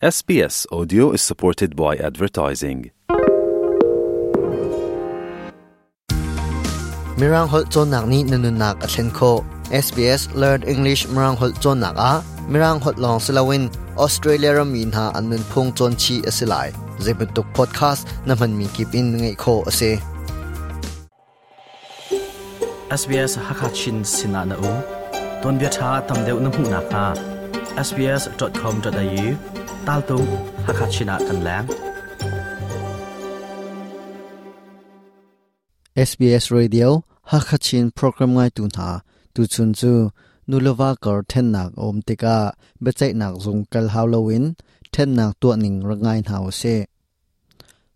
SBS Audio is supported by advertising. Mirang holh cawnnak nih na nunnak a thlen khawh. SBS Learn English Mirang holh cawnnak ah Mirang holh lawng si loin Australia rammi hna an nunphung cawn chih a si lai. Zeibantuk podcast na hmanmi kip in ngaih khawh a si. SBS Hakachin sinah na um. Tuanbia ṭha tam deuh na hmuh nakhnga sbs.com.au taltung Hakachin ah kan leng. SBS Radio Hakachin program ngaitu hna tuchun cu nuleva kar thennak a um tikah biaceihnak zung kal hau loin thennak tuah ning rak ngai hna usih.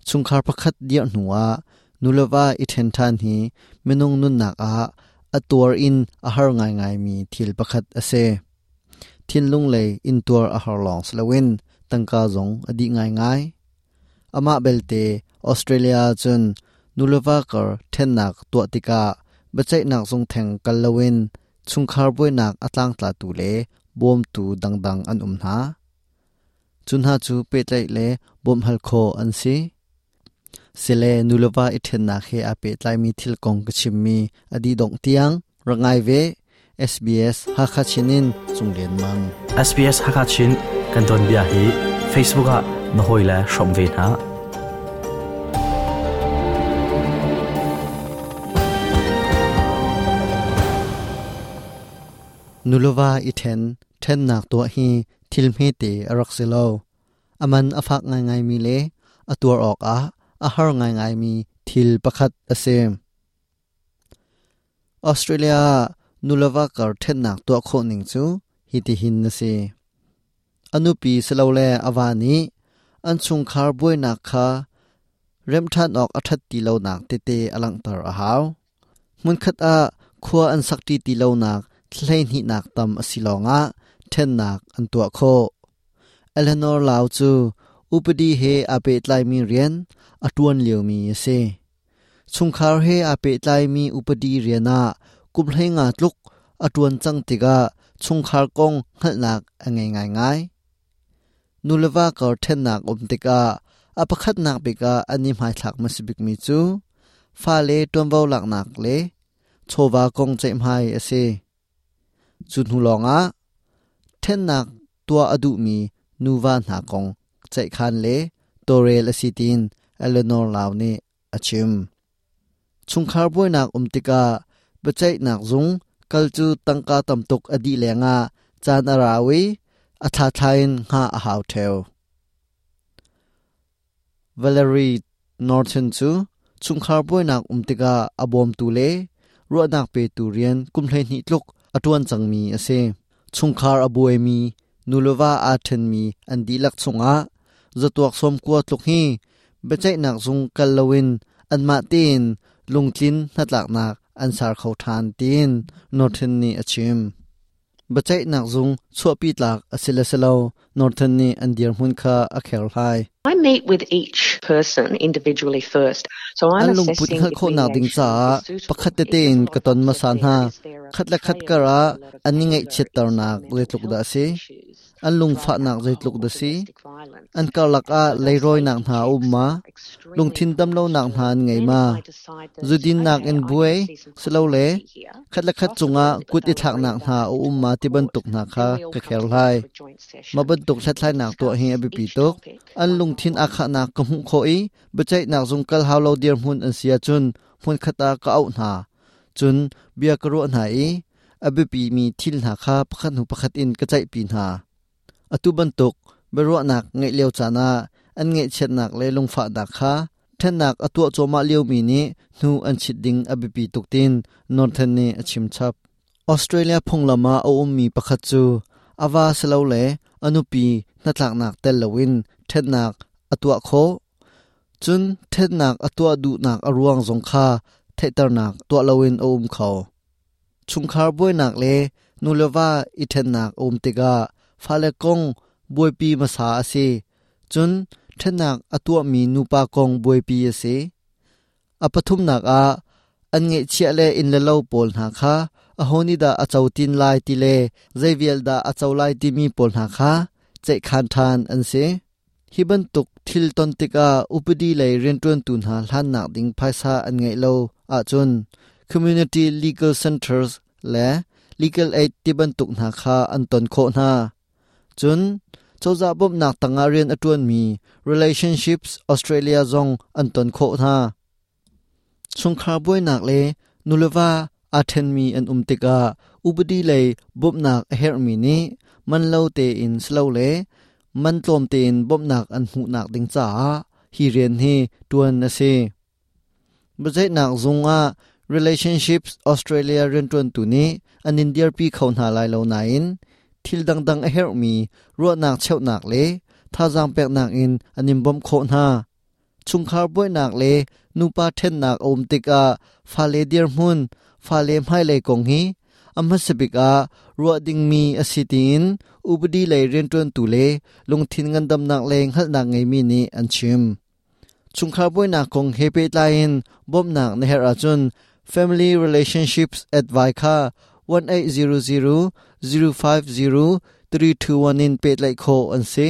Chungkhar pakhat dirh hnuah nuleva i ṭhen ṭhan hi minung nunnak ah a tuar in a har ngaingaimi thil pakhat a si. Thinlung lei intuar a har lawng si loin tangka zong a dih ngaingai. Amah belte Australia ahcun nuleva kar ṭhennak tuah tikah biaceihnak zung theng kal loin chungkhar buainak a tlangtlatu le bawmtu dangdang an um hna. Cu hna cu pehtlaih le bawmhhal khawh an si. Sile nuleva i ṭhennak he aa pehtlaimi thil kong ka chimmi a dih dongh tiang rak ngai ve. SBS Hakha Chin in Cung Lian Mang. SBS Hakha Chin kan tuanbia hi Facebook ah na hawile hrawm ve hna. Nuleva i ṭhen, ṭhennak tuah hi thil hmete a rak si lo. A man a fak ngaingaimi le a tuar awkah a har ngaingaimi thil pakhat a si. Australia ah nuleva kar ṭhennak tuah khawh ning cu hitihin a si. A nupi silole a va nih an chungkhar buainak kha remhṭhan awk a ṭhat ti lonak tete a langhter a hau. Hmunkhat ah khua an sakṭi ti lonak thla hleihnihnak tam a si lawngah ṭhennak an tuah khawh. Eleanor Lau cu upadi he aa pehtlaimi rian a ṭuan liomi a si. Chungkhar he aa pehtlaimi upadi rian ah kum 15 tluk a ṭuan cang tikah chungkhar kong hngalhnak a ngei ngaingai. Nuleva kar ṭhennak um tikah a pakhatnak bik ah an i hmaithlak hmasa bikmi cu fale ṭuanvo laknak le chawva kong ceihmai a si. Cu hnu lawngah ṭhennak tuah a duhmi nuva hna kong ceihkhan le tawlrel a si tiin Eleanor Lau nih a chim. Chungkhar buainak um tikah biaceihnak zung kal cu tangka tam tuk a dih lengah caan a rau i a thla in hngah a hau ṭheo. Valerie Norton cu chungkhar buainak um tikah a bawmtu le ruahnak petu rian kum 12 tluk a ṭuan cangmi a si. Chungkhar a buaimi nuleva aa ṭhenmi an dihlak chungah zatuak 90 tluk hi biaceihnak zung kal loin anmah tein lungtlin hnatlaknak an ser kho ṭhan tiin Norton nih a chim. Biaceihnak zung chuahpi tlak a si le si lo Norton nih an dirhmun kha a kherhlai. I meet with each person individually first. So I'm An lungput assessing hngalh if khawhnak ding mediation caah is suitable. pakhat tete If there's in a lot ka of ton upset hmasa there, hna. is there a Khat le khat portrayal kar of ah a lot of an i anger, ngaihchiatternak issues, mental zeitluk dah a health si? issues, An drug, lungfahnak alcohol, zeitluk or dah si? domestic violence? An karlak And ah so those leirawinak safety hna a um checks ma? are extremely Lungthin important damlonak to hna do. an ngei Then ma? if I decide that, Zudinnak okay, in I can buai, see some silole controversy here, khat le khat cungah possibly that kut i they'll agree thlaknak they hna don't a need to um go ma to ti court, bantuk hna then kha we all ka come kher together hlai. for a joint Ma session bantuk to hlathlainak tuah hi a discuss biapi each tuk. topic An one by lungthin aa one. khahnak ka hmuh khawh i biaceihnak zung kal hau lo dirhmun an si ahcun hmunkhat ah ka auh hna. Cun bia ka ruah hna i a biapimi thil hna kha pakhat hnu pakhat in ka ceihpi hna. Atu bantuk biaruahnak ngeih lio caan ah an ngaihchiatnak le lungfahnak kha ṭhennak a tuah cuahmah liomi nih hnu an chit ding a biapi tuk tiin Northern nih a chim chap. Australia phunglam ah a ummi pakhat cu a va silole a nupi hnatlaknak tel loin ṭhennak a tuah khawh. Cun ṭhennak a tuah duhnak a ruang zong kha theihternak tuah loin a um kho. Chungkhar buainak le nuleva i ṭhennak a um tikah fale kong buaipi hmasa a si. Cun ṭhennak a tuahmi nupa kong buaipi a si. A pathumnak ah an ngeihchiah le inn le lo pawl hna kha aho nih dah a co tin lai ti le zei vial dah a co lai timi pawl hna kha ceihkhan ṭhan an si. Hi bantuk thil ton tikah upadi lei rianṭuantu hna hlannak ding phaisa an ngeih lo ahcun Community Legal Centres le Legal Aid tibantuk hna kha an ton khawh hna. Cun cozah bawmhnak tangah rian a ṭuanmi Relationships Australia zong an ton khawh hna. Chungkhar buainak le nuleva aa ṭhenmi an um tikah upadi lei bawmhnak a herhmi nih man lo tein silole man tlawm tein bawmhnak an hmuhnak ding caah hi rian hi ṭuan a si. Biaceihnak zung ah Relationships Australia rianṭuantu nih an in dirpi kho hna lai lo nain thil dangdang a herhmi ruahnak cheuhnak le thazaang peknak in an in bawmh khawh hna. Chungkhar buainak le nupa ṭhennak a um tikah fale dirhmun, fale hmailei kong hi a hmasa bik ah ruah dingmi a si tiin upadi lei rianṭuantu le lungthin ngandamnak le hngalhnak ngeimi nih an chim. Chungkhar buainak kong he pehtlai in bawmhnak na herh ahcun Family Relationships Advice kha 1800 050 321 in pehtlaih khawh an si.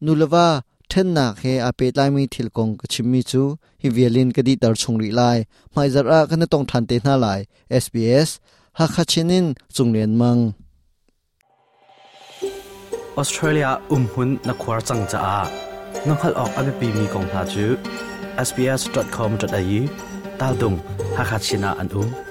Nuleva ṭhennak he aa pehtlaimi thil kong ka chimmi cu hi vial in ka dihter chung rih lai. Hmaizarh ah kan i tong ṭhan te hna lai. SBS Hakha Chin in Cung Lian Mang. Australia umhmun na khuar cang caah na hngalh awk a biapimi kong hna cu sbs.com.au tal dung Hakha Chin ah an um.